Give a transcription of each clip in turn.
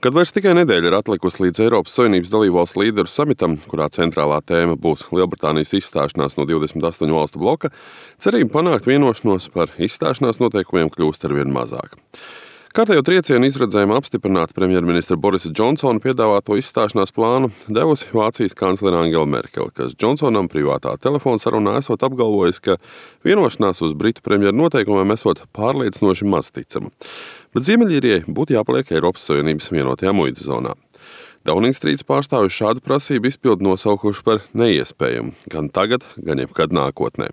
Kad vairs tikai nedēļa ir atlikusi līdz Eiropas Savienības dalībvalstu līderu samitam, kurā centrālā tēma būs Lielbritānijas izstāšanās no 28 valstu bloka, cerība panākt vienošanos par izstāšanās noteikumiem kļūst arvien mazāk. Kārtējo triecienu izredzējumu apstiprināt premjerministra Borisa Džonsona piedāvāto izstāšanās plānu devusi Vācijas kanclere Angela Merkele, kas Džonsonam privātā telefona sarunā esot apgalvojis, ka vienošanās uz Britu premjeru noteikumiem esot pārliecinoši mazticama. Bet Ziemeļīrijai būtu jāpaliek Eiropas Savienības vienotajā muitas zonā. Downing Streets pārstāvji šādu prasību izpildu nosaukuši par neiespējamu, gan tagad, gan jebkad nākotnē.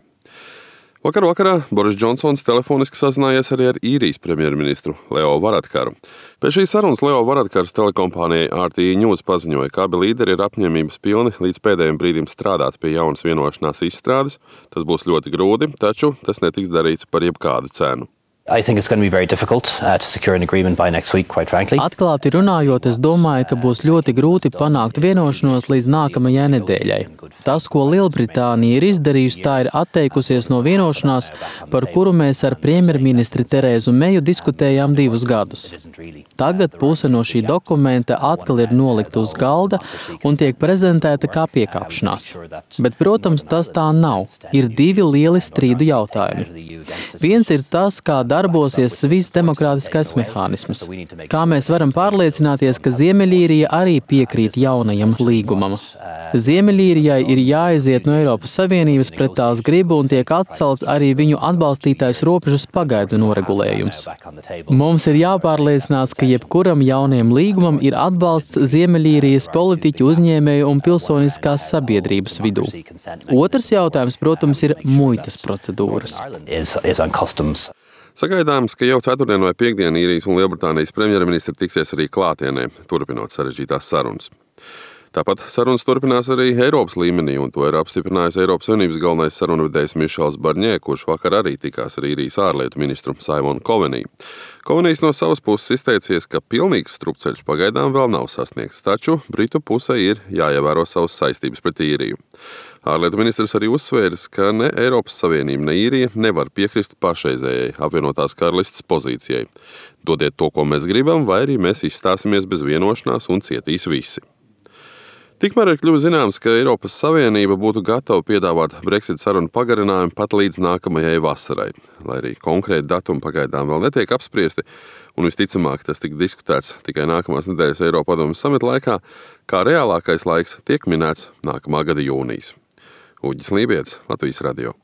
Vakar vakarā Boris Džonsons telefoniski sazinājies arī ar īrijas premjerministru Leo Varadkaru. Pēc šīs sarunas Leo Varadkars telekompānijai RTE News paziņoja, ka abi līderi ir apņēmības pilni līdz pēdējiem brīdim strādāt pie jaunas vienošanās izstrādes. Tas būs ļoti grūti, taču tas netiks darīts par jebkādu cenu. I think it's going to be very difficult to secure an agreement by next week, quite frankly. Atklāti runājot, es domāju, ka būs ļoti grūti panākt vienošanos līdz nākamajai nedēļai. Tas, ko Lielbritānija ir izdarījusi, tā ir atteikusies no vienošanās, par kuru mēs ar premjerministri Terēzu Meju diskutējām 2 gadus. Tagad puse no šī dokumenta atkal ir nolikta uz galda un tiek prezentēta kā piekāpšanās. Bet, protams, tas tā nav. Ir 2 lieli strīdu jautājumi. Viens ir tas, kā darbosies Sviss demokrātiskais mehānisms. Kā mēs varam pārliecināties, ka Ziemeļīrija arī piekrīt jaunajam līgumam? Ziemeļīrijai ir jāiziet no Eiropas Savienības pret tās gribu un tiek atcelts arī viņu atbalstītais robežas pagaidu noregulējums. Mums ir jāpārliecinās, ka jebkuram jaunajam līgumam ir atbalsts Ziemeļīrijas politiķu, uzņēmēju un pilsoniskās sabiedrības vidū. Otrs jautājums, protams, ir muitas procedūras. Sagaidāms, ka jau ceturtdien vai piekdien īrijas un Lielbritānijas premjerministri tiksies arī klātienē, turpinot sarežģītās sarunas. Tāpat sarunas turpinās arī Eiropas līmenī, un to ir apstiprinājis Eiropas Savienības galvenais sarunvedējs Mišels Barņē, kurš vakar arī tikās ar īrijas ārlietu ministru Simonu Koveniju. Kovenijs no savas puses izteicies, ka pilnīgs strupceļš pagaidām vēl nav sasniegts, taču Britu pusē ir jāievēro savas saistības pret īriju. Ārlietu ministrs arī uzsvēris, ka ne Eiropas Savienība, ne īrija nevar piekrist pašreizējai apvienotās karalistes pozīcijai. Dodiet to, ko mēs gribam, vai arī mēs izstāsimies bez vienošanās un cietīs visi. Tikmēr ir kļuvis zināms, ka Eiropas Savienība būtu gatava piedāvāt Brexit sarunu pagarinājumu pat līdz nākamajai vasarai, lai arī konkrēti datumi pagaidām vēl netiek apspriesti, un visticamāk tas tika diskutēts tikai nākamās nedēļas Eiropadomes samita laikā, kā reālākais laiks tiek minēts nākamā gada jūnijas. Uģis Lībietis, Latvijas radio.